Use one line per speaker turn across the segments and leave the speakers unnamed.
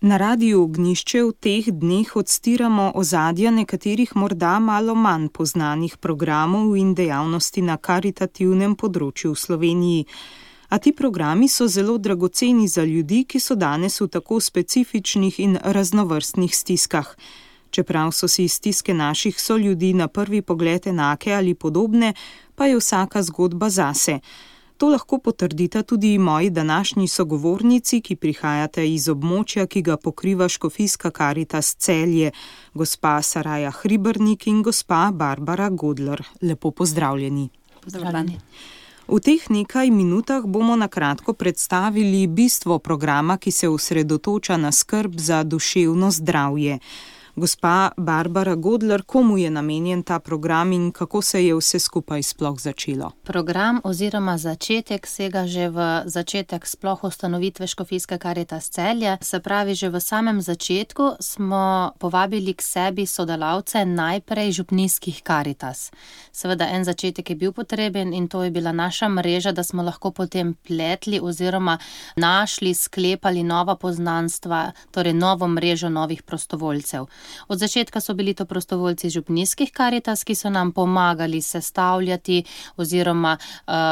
Na Radiu Ognjišče v teh dneh odstiramo ozadja nekaterih morda malo manj poznanih programov in dejavnosti na karitativnem področju v Sloveniji. A ti programi so zelo dragoceni za ljudi, ki so danes v tako specifičnih in raznovrstnih stiskah. Čeprav so si stiske naših soljudi na prvi pogled enake ali podobne, pa je vsaka zgodba zase. To lahko potrdita tudi moji današnji sogovornici, ki prihajate iz območja, ki ga pokriva Škofijska Karitas Celje, gospa Saraja Hribernik in gospa Barbara Godler. Lepo pozdravljeni.
Pozdravljeni.
V teh nekaj minutah bomo na kratko predstavili bistvo programa, ki se osredotoča na skrb za duševno zdravje. Gospa Barbara Godler, komu je namenjen ta program in kako se je vse skupaj sploh začelo?
Program oziroma začetek sega že v začetek sploh ustanovitve Škofijske Karitas Celje. Se pravi, že v samem začetku smo povabili k sebi sodelavce najprej župnijskih Karitas. Seveda en začetek je bil potreben in to je bila naša mreža, da smo lahko potem pletli oziroma našli, sklepali nova poznanstva, torej novo mrežo novih prostovoljcev. Od začetka so bili to prostovoljci župnijskih Karitas, ki so nam pomagali sestavljati oziroma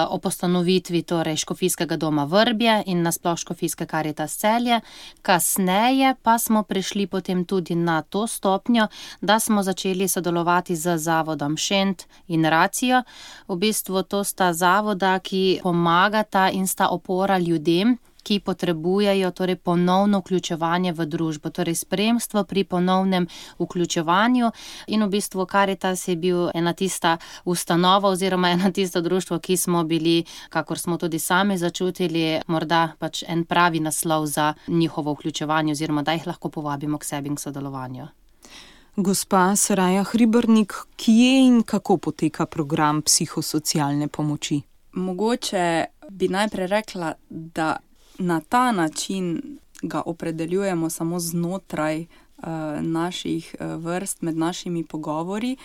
ob ustanovitvi torej Škofijskega doma Vrbje in nasploh Škofijske Karitas Celje. Kasneje pa smo prišli potem tudi na to stopnjo, da smo začeli sodelovati z zavodom Šent in Racijo. V bistvu to sta zavoda, ki pomagata in sta opora ljudem, ki potrebujejo torej ponovno vključevanje v družbo, torej spremstvo pri ponovnem vključevanju. In v bistvu Karitas je bil ena tista ustanova oziroma ena tisto društvo, ki smo bili, kakor smo tudi sami začutili, morda pač en pravi naslov za njihovo vključevanje oziroma da jih lahko povabimo k sebi in k sodelovanju.
Gospa Saraja Hribernik, kje in kako poteka program psihosocialne pomoči?
Mogoče bi najprej rekla, da na ta način ga opredeljujemo samo znotraj naših vrst, med našimi pogovori.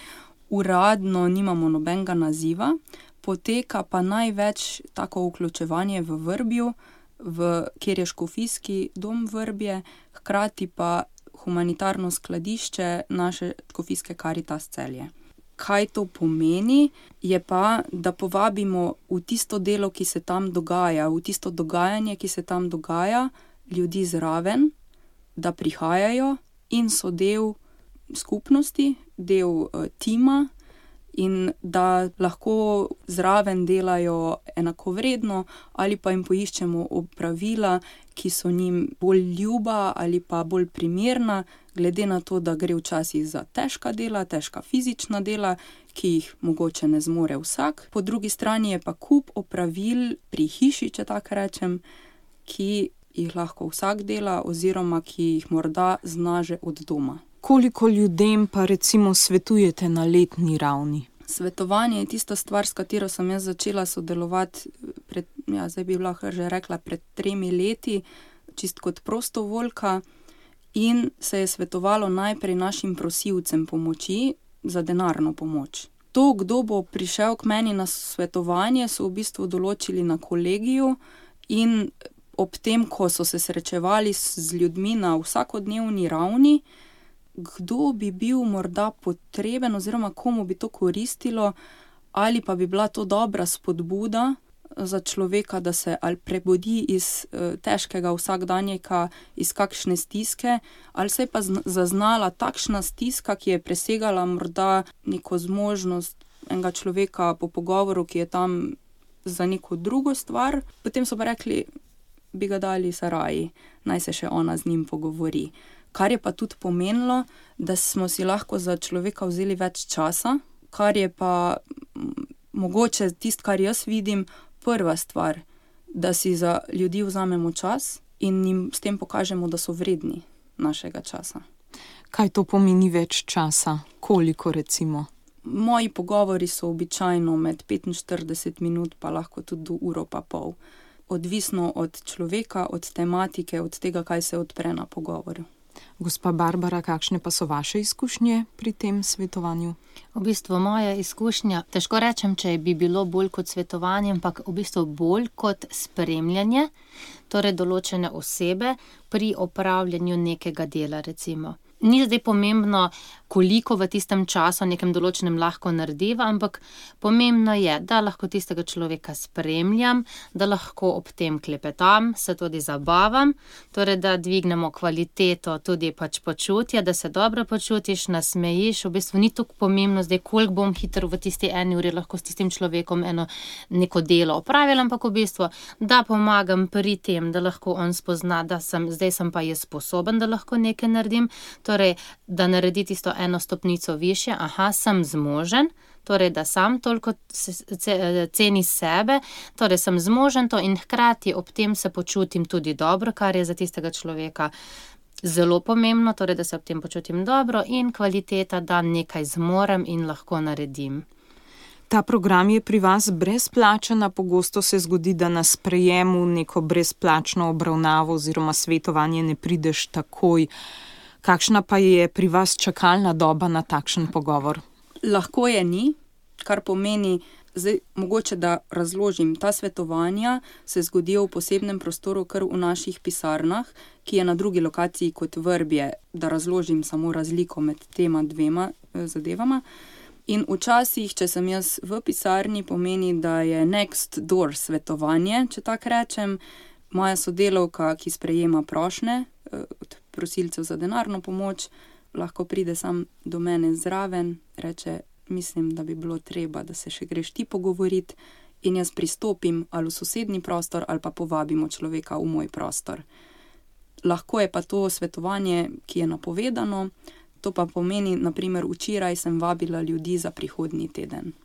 Uradno nimamo nobenega naziva, poteka pa največ tako vključevanje v Vrbju, kjer je Škofijski dom Vrbje, hkrati pa humanitarno skladišče naše Škofijske Karitas Celje. Kaj to pomeni, je pa, da povabimo v tisto delo, ki se tam dogaja, v tisto dogajanje, ki se tam dogaja, ljudi zraven, da prihajajo in so del skupnosti, del tima in da lahko zraven delajo enakovredno ali pa jim poiščemo opravila, ki so njim bolj ljuba ali pa bolj primerna, glede na to, da gre včasih za težka dela, težka fizična dela, ki jih mogoče ne zmore vsak. Po drugi strani je pa kup opravil pri hiši, če tako rečem, ki jih lahko vsak dela oziroma ki jih morda zna že od doma.
Koliko ljudem pa recimo svetujete na letni ravni?
Svetovanje je tista stvar, s katero sem jaz začela sodelovati zdaj bi lahko že rekla pred 3 leti, čist kot prostovoljka. In se je svetovalo najprej našim prosilcem pomoči za denarno pomoč. To, kdo bo prišel k meni na svetovanje, so v bistvu določili na kolegiju in ob tem, ko so se srečevali z ljudmi na vsakodnevni ravni, kdo bi bil morda potreben oziroma komu bi to koristilo ali pa bi bila to dobra spodbuda za človeka, da se ali prebudi iz težkega vsakdanjika, iz kakšne stiske, ali se je pa zaznala takšna stiska, ki je presegala morda neko zmožnost enega človeka po pogovoru, ki je tam za neko drugo stvar. Potem so pa rekli, bi ga dali Saraji, naj se še ona z njim pogovori. Kar je pa tudi pomenilo, da smo si lahko za človeka vzeli več časa, kar je pa mogoče tisto, kar jaz vidim, prva stvar, da si za ljudi vzamemo čas in jim s tem pokažemo, da so vredni našega časa.
Kaj to pomeni več časa? Koliko recimo?
Moji pogovori so običajno med 45 minut, pa lahko tudi do uro pa pol. Odvisno od človeka, od tematike, od tega, kaj se odpre na pogovoru.
Gospa Barbara, kakšne pa so vaše izkušnje pri tem svetovanju?
V bistvu moja izkušnja, težko rečem, če bi bilo bolj kot svetovanje, ampak v bistvu bolj kot spremljanje, torej določene osebe pri opravljanju nekega dela, recimo. Ni zdaj pomembno, koliko v tistem času nekem določenem lahko narediva, ampak pomembno je, da lahko tistega človeka spremljam, da lahko ob tem klepetam, se tudi zabavam, torej da dvignemo kvaliteto tudi pač počutja, da se dobro počutiš, nasmejiš, v bistvu ni tako pomembno zdaj, koliko bom hitro v tisti eni uri lahko s tistim človekom neko delo opravila, ampak v bistvu, da pomagam pri tem, da lahko on spozna, da zdaj sem pa jaz sposoben, da lahko nekaj naredim. Torej, da naredi tisto eno stopnico višje, sem zmožen, torej, da sam toliko ceni sebe, torej sem zmožen to in hkrati ob tem se počutim tudi dobro, kar je za tistega človeka zelo pomembno, torej, da se ob tem počutim dobro in kvaliteta, da nekaj zmorem in lahko naredim.
Ta program je pri vas brezplačen, a pogosto se zgodi, da na sprejemu neko brezplačno obravnavo oziroma svetovanje ne prideš takoj. Kakšna pa je pri vas čakalna doba na takšen pogovor?
Lahko je ni, kar pomeni, zdaj mogoče da razložim, ta svetovanja se zgodijo v posebnem prostoru, kar v naših pisarnah, ki je na drugi lokaciji kot Vrbje, da razložim samo razliko med tema dvema zadevama. In včasih, če sem jaz v pisarni, pomeni, da je next door svetovanje, če tako rečem, moja sodelavka, ki sprejema prošnje od prosilcev za denarno pomoč, lahko pride sam do mene zraven, reče, mislim, da bi bilo treba, da se še greš ti pogovoriti in jaz pristopim ali v sosednji prostor ali pa povabimo človeka v moj prostor. Lahko je pa to svetovanje, ki je napovedano, to pa pomeni, naprimer, včeraj sem vabila ljudi za prihodnji teden.